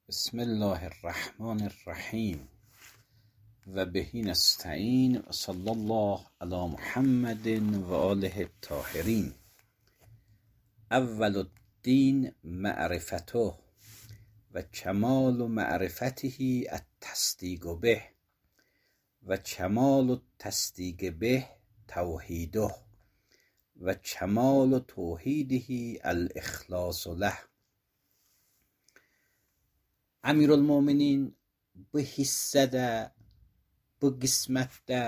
بسم الله الرحمن الرحیم و بهی نستعین و صلی الله علی محمد و آله الطاهرین. اول الدین معرفته و کمال معرفته التصدیق به و کمال التصدیق به توحیده و کمال توحیده الاخلاص له. Emirülmüminin bu hissədə, bu qismətdə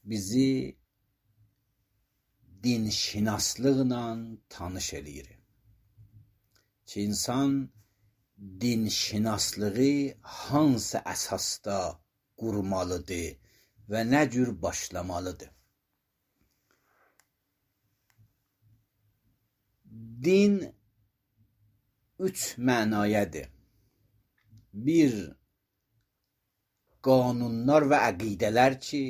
bizi dinşinaslıqla tanış eləyir. Ki insan dinşinaslığı hansı əsasda qurmalıdır və nə cür başlamalıdır? Din üç mənayadır. Bir, qanunlar və əqidələr ki,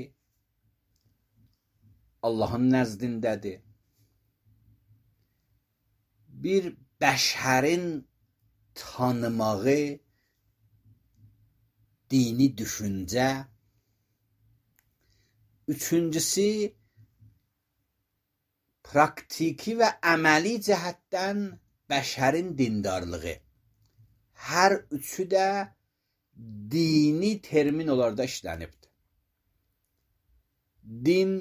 Allahın nəzdindədir. Bir, bəşərin tanımağı, dini düşüncə. Üçüncüsü, praktiki və əməli cəhətdən bəşərin dindarlığı. Hər üçü də dini termin olaraq işlənibdir. Din,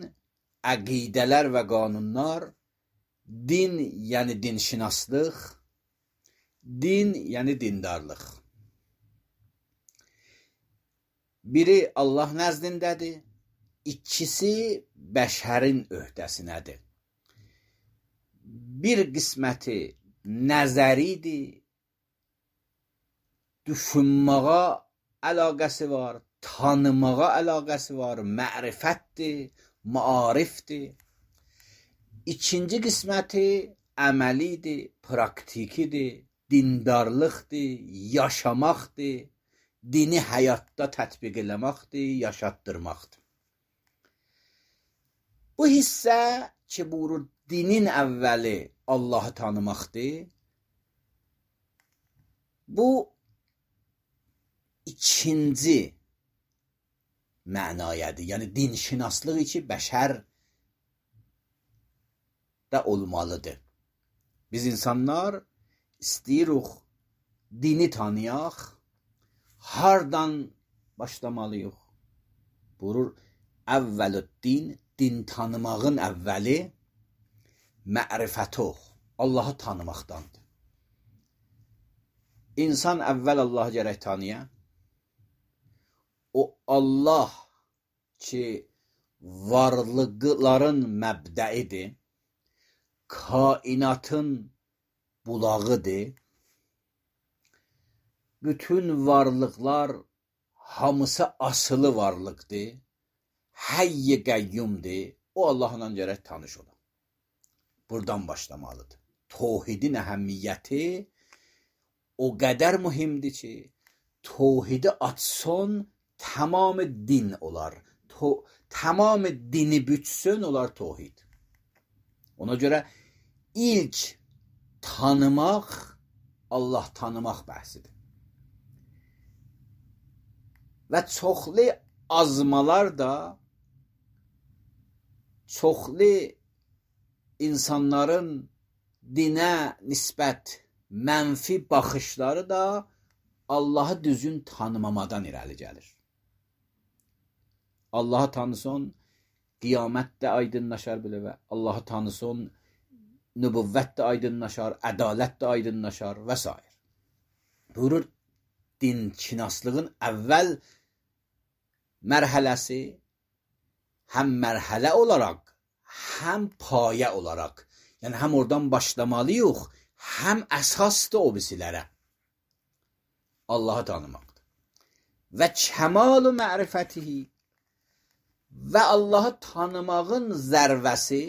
əqidələr və qanunlar, din yəni dinşinaslıq, din yəni dindarlıq. Biri Allah nəzdindədir, ikisi bəşərin öhdəsinədir. Bir qisməti nəzəridir, düşünməyə əlaqəsi var, tanımağa əlaqəsi var, mərifətdir, maarifdir. İkinci qisməti əməlidir, praktikidir, dindarlıqdır, yaşamaqdır, dini həyatda tətbiq eləməkdir, yaşatdırmaqdır. Bu hissə ki, bu dinin əvvəli Allah'ı tanımaqdır. Bu ikinci mənayadır. Yəni dinşinaslıq ki, bəşər də olmalıdır. Biz insanlar istəyirik dini tanıyaq, hardan başlamalıyıq? Buyurur, əvvəlüddin, din tanımağın əvvəli mərifətuh, Allah'ı tanımaqdandır. İnsan əvvəl Allah'ı gərək tanıya. O Allah ki, varlıqların məbdəidir, kainatın bulağıdır, bütün varlıqlar hamısı asılı varlıqdır, hayy-i qəyyumdur, o Allah'la gərək tanış ola. Buradan başlamalıdır. Tohidin əhəmmiyyəti o qədər mühimdir ki, tohidi açsın, tamam din olar. Tamam dini bütsün, olar tohid. Ona görə ilk tanımaq, Allah tanımaq bəhsidir. Və çoxlu azmalar da, çoxlu insanların dinə nisbət mənfi baxışları da Allah'ı düzgün tanımamadan irəli gəlir. Allah'ı tanısın, qiyamət də aydınlaşar belə və Allah'ı tanısın, nübüvvət də aydınlaşar, ədalət də aydınlaşar və s. Buyurur, dinşinaslığın əvvəl mərhələsi həm mərhələ olaraq, həm payə olaraq, yəni həm oradan başlamalıyıq, həm əsasdır o bisilərə. Allah'ı tanımaqdır. Və kəmalu mərifətihi və Allah'ı tanımağın zərvəsi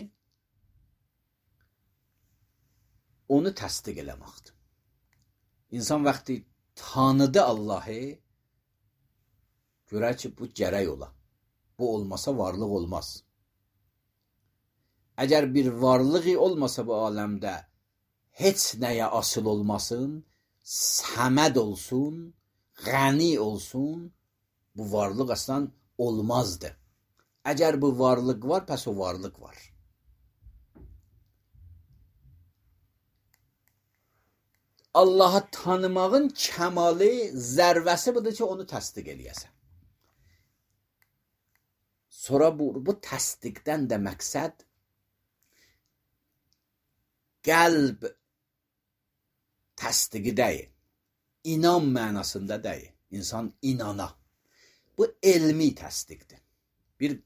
onu təsdiq eləməkdir. İnsan vaxtı tanıdı Allah'ı, görər ki, bu gərək ola. Bu olmasa varlıq olmaz. Əgər bir varlığı olmasa bu aləmdə heç nəyə asıl olmasın, səməd olsun, qəni olsun, bu varlıq aslan olmazdı. Əgər bu varlıq var, pəs o varlıq var. Allah'ı tanımağın kəmalı, zərvəsi budur ki, onu təsdiq eləyəsən. Sonra bu təsdiqdən də məqsəd qəlb təsdiqi deyil. İnan mənasında deyil. İnsan inana. Bu elmi təsdiqdir. Bir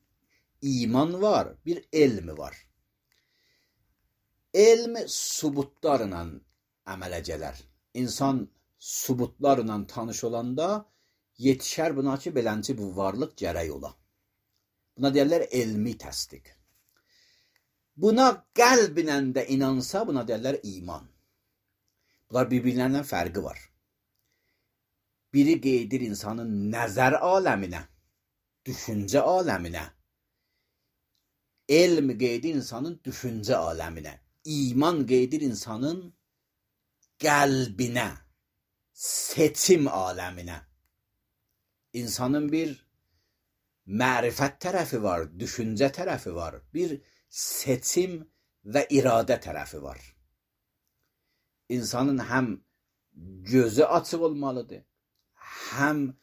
iman var, bir elmi var. Elm subutlarla əmələ gələr. İnsan subutlarla tanış olanda yetişər buna ki, belənci bu varlıq gərək ola. Buna deyərlər elmi təsdiq. Buna qəlblə də inansa, buna deyərlər iman. Bunlar bir-birlərindən fərqi var. Biri qeydir insanın nəzər aləminə, düşüncə aləminə. Elm qeydir insanın düşüncə aləminə. İman qeydir insanın qəlbinə, seçim aləminə. İnsanın bir mərifət tərəfi var, düşüncə tərəfi var, bir seçim və iradə tərəfi var. İnsanın həm gözü açıq olmalıdır, həm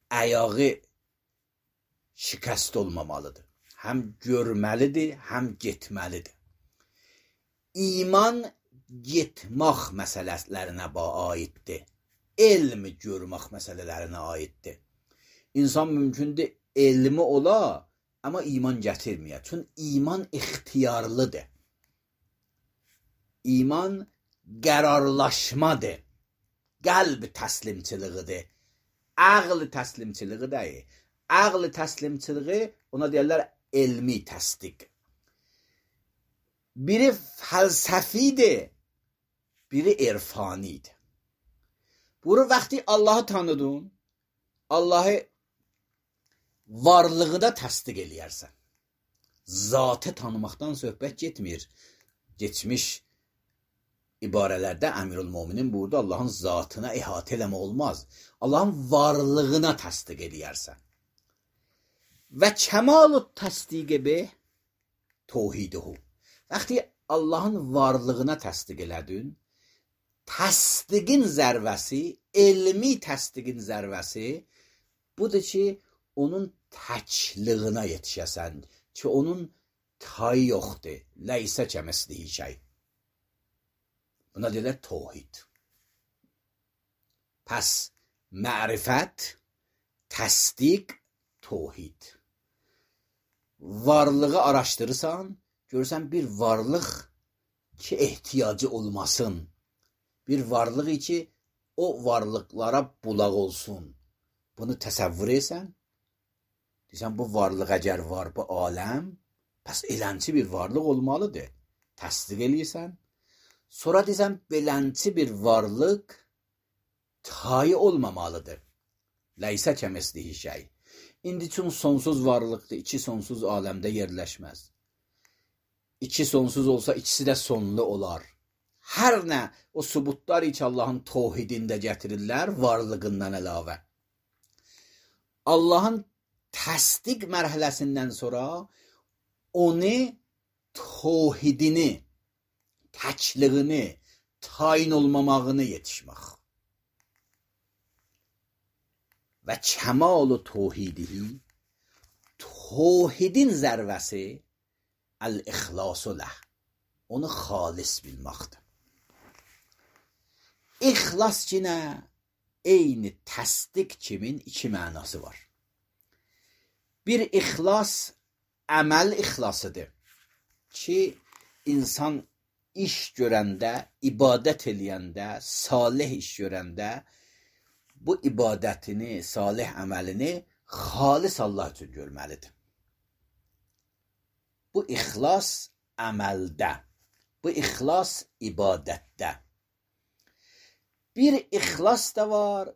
ayağı şikəst olmamalıdır. Həm görməlidir, həm getməlidir. İman getmək məsələlərinə aiddir. Elm görmək məsələlərinə aiddir. İnsan mümkündür elmi ola, amma iman gətirməyə. Çünki iman ixtiyarlıdır. İman qərarlaşmadır. Qəlb təslimçiliğidir. Ağl təslimçiliği deyil. Ağl təslimçiliği ona deyirlər elmi təsdiq. Biri fəlsəfidir, biri irfanidir. Bunu vaxtı Allah'ı tanıdın, Allah'ı varlığına təsdiq eləyərsən. Zatı tanımaqdan söhbət getmir. Geçmiş ibarələrdə Əmirül-Möminin burada Allah'ın zatına ihatə eləmə olmaz. Allah'ın varlığına təsdiq eləyərsən. Və kəmalu təsdiqi be tevhiduhu. Vaxtı Allah'ın varlığına təsdiq elədin, təsdiqin zərvəsi, elmi təsdiqin zərvəsi budur ki, onun təkliyinə yetişəsən ki, onun tayı yoxdur. Ləysə kəmislihi şey. Buna deyirlər tevhid. Pəs mərifət, təsdiq, tevhid. Varlığı araşdırırsan, görürsən bir varlıq ki, ehtiyacı olmasın. Bir varlıq ki, o varlıqlara bulaq olsun. Bunu təsəvvür etsən, deyirsən, bu varlıq əgər var, bu aləm, pəs elənçi bir varlıq olmalıdır. Təsdiq eləyirsən. Sonra deyirsən, belənçi bir varlıq tayı olmamalıdır. Ləysə kəmislihi şey. İndi üçün sonsuz varlıqdır, iki sonsuz aləmdə yerləşməz. İki sonsuz olsa, ikisi də sonlu olar. Hər nə o subutlar ki, Allah'ın tevhidində gətirirlər, varlığından əlavə. Allah'ın təsdiq mərhələsindən sonra onu tevhidini, təkliyini, tayin olmamağını yetişmək. Və kəmalu tevhidihi, tevhidin zərvəsi el-ixlasu ləh. Onu xalis bilməkdir. İxlas ki nə? Eyni təsdiq kimin iki mənası var. Bir ixlas əməl ixlasıdır ki, insan iş görəndə, ibadət eləyəndə, salih iş görəndə bu ibadətini, salih əməlini xalis Allah üçün görməlidir. Bu ixlas əməldə, bu ixlas ibadətdə. Bir ixlas da var,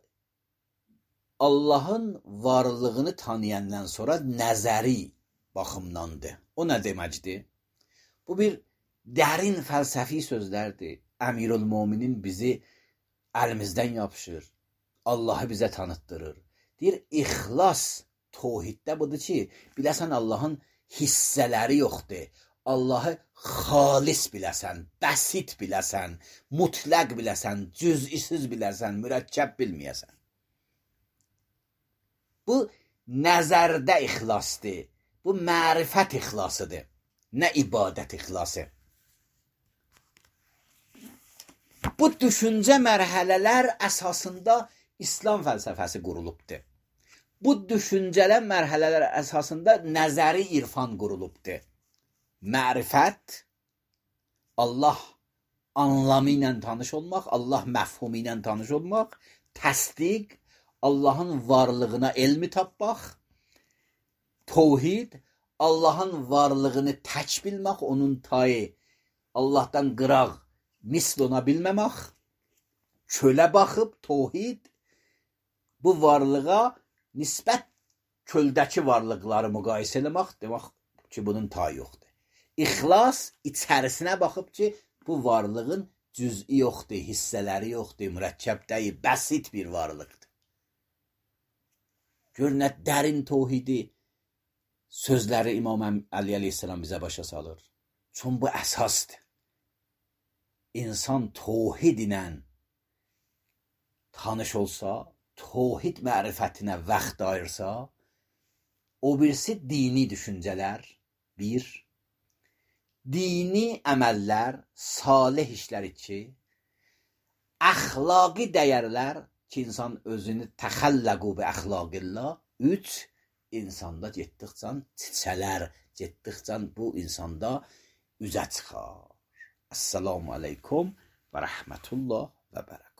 Allah'ın varlığını tanıyandan sonra nəzəri baxımdandır. O nə deməkdir? Bu bir dərin fəlsəfi sözlərdir. Əmirül-Möminin bizi əlimizdən yapışır. Allahı bizə tanıtdırır. Deyir, ixlas tohiddə budur ki, biləsən Allahın hissələri yoxdur. Allahı xalis biləsən, bəsit biləsən, mütləq biləsən, cüz'isiz biləsən, mürəkkəb bilməyəsən. Bu nəzərdə ixlasdır. Bu mərifət ixlasıdır. Nə ibadət ixlası. Bu düşüncə mərhələlər əsasında İslam fəlsəfəsi qurulubdur. Bu düşüncələr mərhələlər əsasında nəzəri irfan qurulubdur. Mərifət, Allah anlamı ilə tanış olmaq, Allah məfhumu ilə tanış olmaq, təsdiq, Allahın varlığına elmi tapmaq, Tohid, Allahın varlığını tək bilmək, onun tayı, Allahdan qıraq, misl ona bilməmək, çölə baxıb, tohid, bu varlığa nisbət köldəki varlıqları müqayisə eləmək, demək ki, bunun tayı yoxdur. İxlas, içərisinə baxıb ki, bu varlığın cüz'i yoxdur, hissələri yoxdur, mürəkkəb deyil, bəsit bir varlıqdır. Gör, nə dərin tohidi sözləri İmam Əli əleyhissalam bizə başa salır. Çün bu əsasdır. İnsan tohid ilə tanış olsa, tohid mərifətinə vaxt ayırsa, o birisi dini düşüncələr, bir, dini əməllər, salih işlər iki, əxlaqi dəyərlər ki, insan özünü təxəlləqu bi əxlaqillah, üç, insanda getdikcə çiçələr, getdikcə bu insanda üzə çıxar. Esselamu aleykum və rəhmətullah və bərəkət.